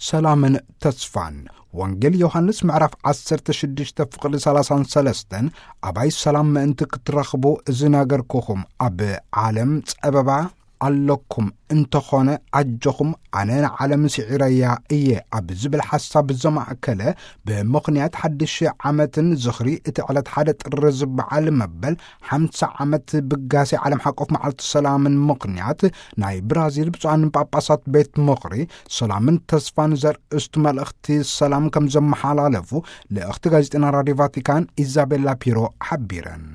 ሰላምን ተስፋን። ወንጌል ዮሃንስ ምዕራፍ ዓሰርተ ሽዱሽተ ፍቕዲ ሰላሳን ሰለስተን፣ ኣባይ ሰላም ምእንቲ ክትረኽቡ እዚ ነገርኩኹም፣ ኣብ ዓለም ጸበባ ኣለኩም እንተኾነ ኣጆኹም፣ ኣነ ንዓለም ስዒረያ እየ ኣብ ዝብል ሓሳብ ዘማእከለ፣ ብምኽንያት ሓድሽ ዓመትን ዝኽሪ እቲ ዕለት ሓደ ጥሪ ዝበዓል መበል ሓምሳ ዓመት ብጋሴ ዓለም ሓቆፍ መዓልቲ ሰላምን ምኽንያት፣ ናይ ብራዚል ብፁዓን ጳጳሳት ቤት ምኽሪ ሰላምን ተስፋን ዘርእስቱ መልእኽቲ ሰላም ከም ዘመሓላለፉ ልእኽቲ ጋዜጠና ራድዮ ቫቲካን ኢዛቤላ ፒሮ ሓቢረን።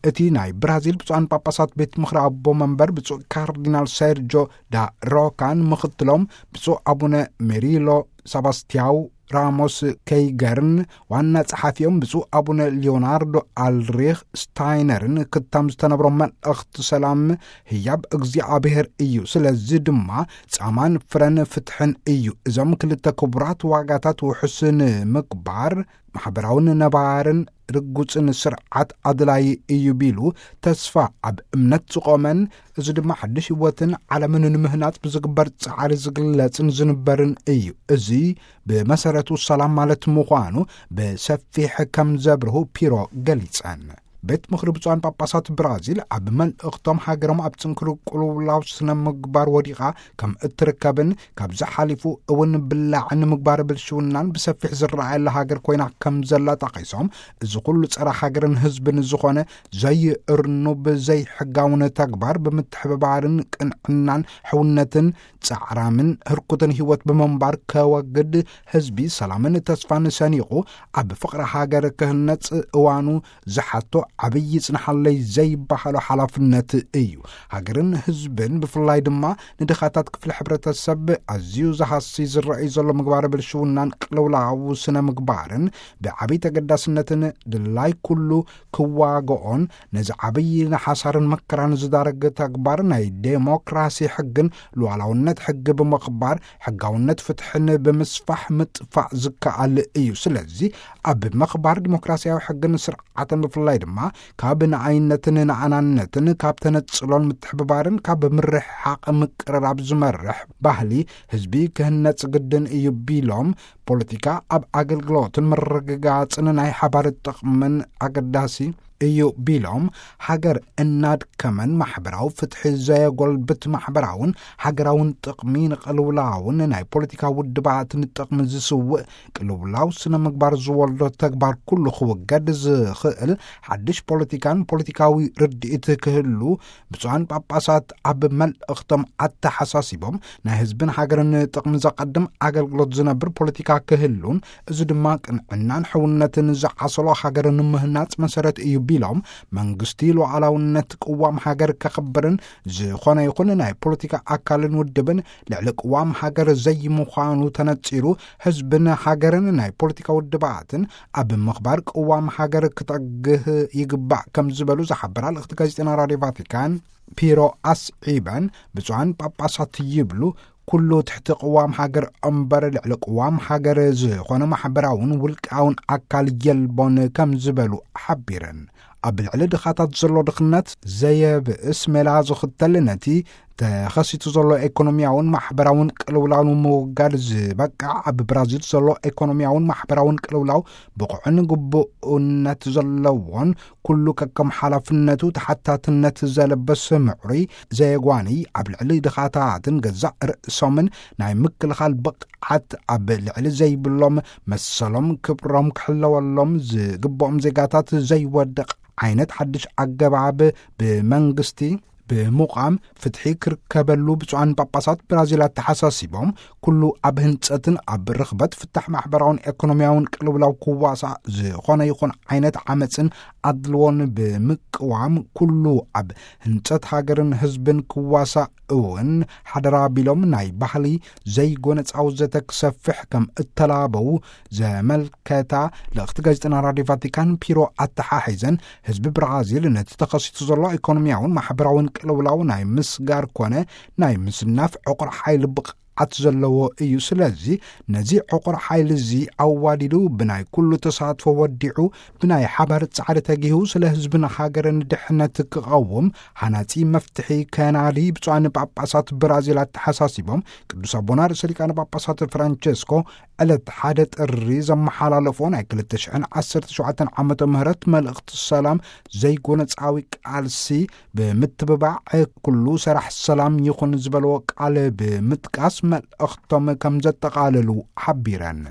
እቲ ናይ ብራዚል ብፁዓን ጳጳሳት ቤት ምኽሪ ኣቦ መንበር ብፁዕ ካርዲናል ሴርጆ ዳ ሮካን ምኽትሎም ብፁዕ ኣቡነ ሜሪሎ ሳባስቲያው ራሞስ ከይገርን ዋና ጸሓፊኦም ብፁዕ ኣቡነ ሊዮናርዶ ኣልሪኽ ስታይነርን ክታም ዝተነብሮም መልእኽቲ ሰላም ህያብ እግዚኣብሔር እዩ። ስለዚ ድማ ጻማን ፍረን ፍትሕን እዩ። እዞም ክልተ ክቡራት ዋጋታት ውሑስ ንምግባር ማሕበራውን ነባርን ርጉጽን ስርዓት ኣድላዪ እዩ ቢሉ፣ ተስፋ ኣብ እምነት ዝቖመን፣ እዚ ድማ ሓድሽ ህይወትን ዓለምን ንምህናጽ ብዝግበር ጻዕሪ ዝግለጽን ዝንበርን እዩ። እዚ ብመሰረቱ ሰላም ማለት ምዃኑ ብሰፊሕ ከም ዘብርሁ ፒሮ ገሊጸን። ቤት ምኽሪ ብፁዓን ጳጳሳት ብራዚል ኣብ መልእኽቶም፣ ሃገሮም ኣብ ጽንኩር ቅልውላው ስነ ምግባር ወዲቓ ከም እትርከብን፣ ካብዚ ሓሊፉ እውን ብላዕን ምግባር ብልሽውናን ብሰፊሕ ዝረኣየላ ሃገር ኮይና ከም ዘላ ጠቒሶም፣ እዚ ኩሉ ጸረ ሃገርን ህዝብን ዝኾነ ዘይእርኑብ ዘይሕጋውን ተግባር ብምትሕብባርን ቅንዕናን ሕውነትን ጻዕራምን ህርኩትን ህይወት ብምንባር ከወግድ፣ ህዝቢ ሰላምን ተስፋን ሰኒቑ ኣብ ፍቕሪ ሃገር ክህነጽ እዋኑ ዝሓቶ ዓብዪ ጽንሓለይ ዘይበሃሎ ሓላፍነት እዩ። ሃገርን ህዝብን ብፍላይ ድማ ንድኻታት ክፍሊ ሕብረተሰብ ኣዝዩ ዝሃሲ ዝረኣዩ ዘሎ ምግባረ ብልሽውናን ቅልውላው ስነ ምግባርን ብዓብዪ ተገዳስነትን ድላይ ኩሉ ክዋግኦን ነዚ ዓብዪ ንሓሳርን መከራን ዝዳረግ ተግባር ናይ ዴሞክራሲ ሕግን ሉዓላውነት ሕጊ ብምኽባር ሕጋውነት ፍትሕን ብምስፋሕ ምጥፋእ ዝከኣል እዩ። ስለዚ ኣብ ምኽባር ዲሞክራሲያዊ ሕግን ስርዓትን ብፍላይ ድማ ካብ ንኣይነትን ንኣናነትን ካብ ተነጽሎን ምትሕብባርን ካብ ምርሕሓቕ ምቅርራብ ዝመርሕ ባህሊ ህዝቢ ክህነጽ ግድን እዩ ቢሎም፣ ፖለቲካ ኣብ ኣገልግሎትን ምርግጋጽን ናይ ሓባር ጥቕምን ኣገዳሲ እዩ ቢሎም፣ ሃገር እናድከመን ማሕበራዊ ፍትሒ ዘየጎልብት ማሕበራውን ሃገራውን ጥቕሚ ንቕልውላውን ናይ ፖለቲካ ውድባትን ጥቕሚ ዝስውእ ቅልውላው ስነ ምግባር ዝወልዶ ተግባር ኩሉ ክውገድ ዝኽእል ሓድሽ ፖለቲካን ፖለቲካዊ ርድኢት ክህሉ ብፁዓን ጳጳሳት ኣብ መልእኽቶም ኣተሓሳሲቦም፣ ናይ ህዝብን ሃገርን ጥቕሚ ዘቐድም ኣገልግሎት ዝነብር ፖለቲካ ክህሉን፣ እዚ ድማ ቅንዕናን ሕውነትን ዝዓሰሎ ሃገር ንምህናጽ መሰረት እዩ ቢሎም፣ መንግስቲ ሉዓላውነት ቅዋም ሃገር ከኽብርን ዝኾነ ይኹን ናይ ፖለቲካ ኣካልን ውድብን ልዕሊ ቅዋም ሃገር ዘይምዃኑ ተነጺሩ፣ ህዝብን ሃገርን ናይ ፖለቲካ ውድባትን ኣብ ምኽባር ቅዋም ሃገር ክጠግህ ይግባእ ከም ዝበሉ ዝሓበራ ልእኽቲ ጋዜጠና ራድዮ ቫቲካን ፒሮ ኣስዒበን፣ ብፁዓን ጳጳሳት ይብሉ፣ ኩሉ ትሕቲ ቅዋም ሃገር እምበር ልዕሊ ቅዋም ሃገር ዝኾነ ማሕበራውን ውልቃውን ኣካል የልቦን ከም ዝበሉ ሓቢረን። ኣብ ልዕሊ ድኻታት ዘሎ ድኽነት ዘየብእስ ሜላ ዝኽተል፣ ነቲ ተኸሲቱ ዘሎ ኢኮኖሚያውን ማሕበራውን ቅልውላው ንምውጋድ ዝበቅዕ፣ ኣብ ብራዚል ዘሎ ኢኮኖሚያውን ማሕበራውን ቅልውላው ብቑዕን ግቡእነት ዘለዎን ኩሉ ከከም ሓላፍነቱ ተሓታትነት ዘለበስ ምዕሩይ ዘየጓኒ ኣብ ልዕሊ ድኻታትን ገዛእ ርእሶምን ናይ ምክልኻል ብቕዓት ኣብ ልዕሊ ዘይብሎም መሰሎም ክብሮም ክሕለወሎም ዝግብኦም ዜጋታት ዘይወድቕ ዓይነት ሓድሽ ኣገባብ ብመንግስቲ ብምቋም ፍትሒ ክርከበሉ ብፁዓን ጳጳሳት ብራዚል ኣተሓሳሲቦም፣ ኩሉ ኣብ ህንጸትን ኣብ ርኽበት ፍታሕ ማሕበራውን ኤኮኖሚያውን ቅልውላው ክዋሳእ ዝኾነ ይኹን ዓይነት ዓመጽን ኣድልዎን ብምቅዋም፣ ኩሉ ኣብ ህንጸት ሃገርን ህዝብን ክዋሳእ እውን ሓደራ ቢሎም፣ ናይ ባህሊ ዘይጎነጻዊ ዘተ ክሰፍሕ ከም እተላበው ዘመልከታ ልእኽቲ ጋዜጠና ራድዮ ቫቲካን ፒሮ ኣተሓሒዘን፣ ህዝቢ ብራዚል ነቲ ተኸሲቱ ዘሎ ኢኮኖሚያውን ማሕበራውን ቅልውላው ናይ ምስጋር ኮነ ናይ ምስናፍ ዕቑር ሓይሊ ብቕ ስግኣት ዘለዎ እዩ። ስለዚ ነዚ ዕቑር ሓይሊ እዚ ኣዋዲዱ ብናይ ኩሉ ተሳትፎ ወዲዑ ብናይ ሓባር ጻዕሪ ተጊሁ ስለ ህዝብን ሃገርን ድሕነት ክቐውም ሃናጺ መፍትሒ ከናዲ ብፁዓን ጳጳሳት ብራዚል ኣተሓሳሲቦም፣ ቅዱስ ኣቦና ርእሰ ሊቃነ ጳጳሳት ፍራንቸስኮ ዕለት ሓደ ጥሪ ዘመሓላለፎ ናይ ክልተ ሽሕን ዓሰርተ ሸውዓተን ዓመተ ምህረት መልእኽቲ ሰላም ዘይጎነጻዊ ቃልሲ ብምትብባዕ ኩሉ ሰራሕ ሰላም ይኹን ዝበልዎ ቃል ብምጥቃስ መልእኽቶም ከም ዘጠቓለሉ ሓቢረን።